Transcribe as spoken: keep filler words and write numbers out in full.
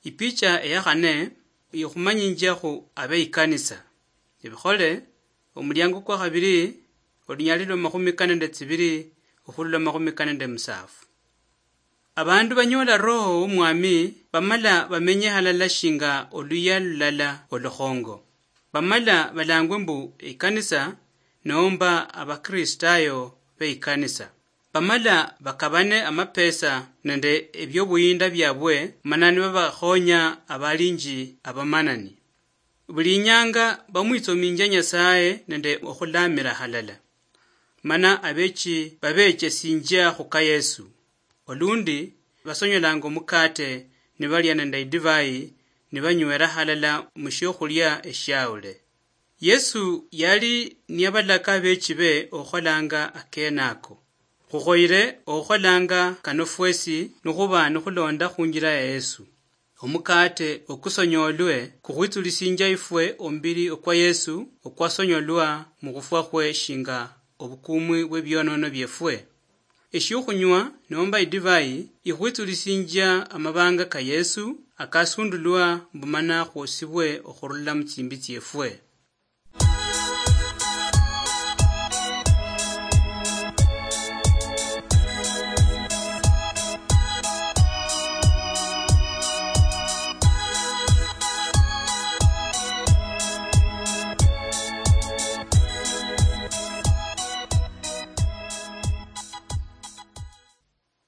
Ipicha eya khane ikhumanyinjiakhu abe ikanisa. Ebikhole, omuliango kwa khabili, olunyali lwa makhumi kane nende tsibili okhurula makhumi kane nende musaafu. Abandu banyoola Roho w'Omwami bamala bamenye halala shinga oluya lulala olukhongo. Bamala balangwe mbu ikanisa, nomba Abakristayo be ikanisa. Bamala bakabane amapesa nende ebiobuyinda biabwe, mana nibabakhonya abalinji abamanani. Buli inyanga bamwitsominjia Nyasaye nende okhulamira halala. Mana abechi babechesinjia khuka Yesu. Olundi basonyolanga omukate nibalia nende idivai, nibanywera halala mushiokhulia eshiaule. Yesu yali niyabalaka abechi be okholanga akenako. Khukhoyire okholanga kano fwesi nikhuba nikhulonda khunjira ya Yesu. Omukate okusonyolwe kukhwitsulisinjia ifwe omubiri okwa Yesu okwasonyolwa mukhufwa khwe shinga obukumwi bwebionono biefwe. Eshiokhunywa nomba idivai ikhwitsulisinjia amabanga ka Yesu akasundulwa mbu mana khwosibwe okhurula mutsimbi tsiefwe.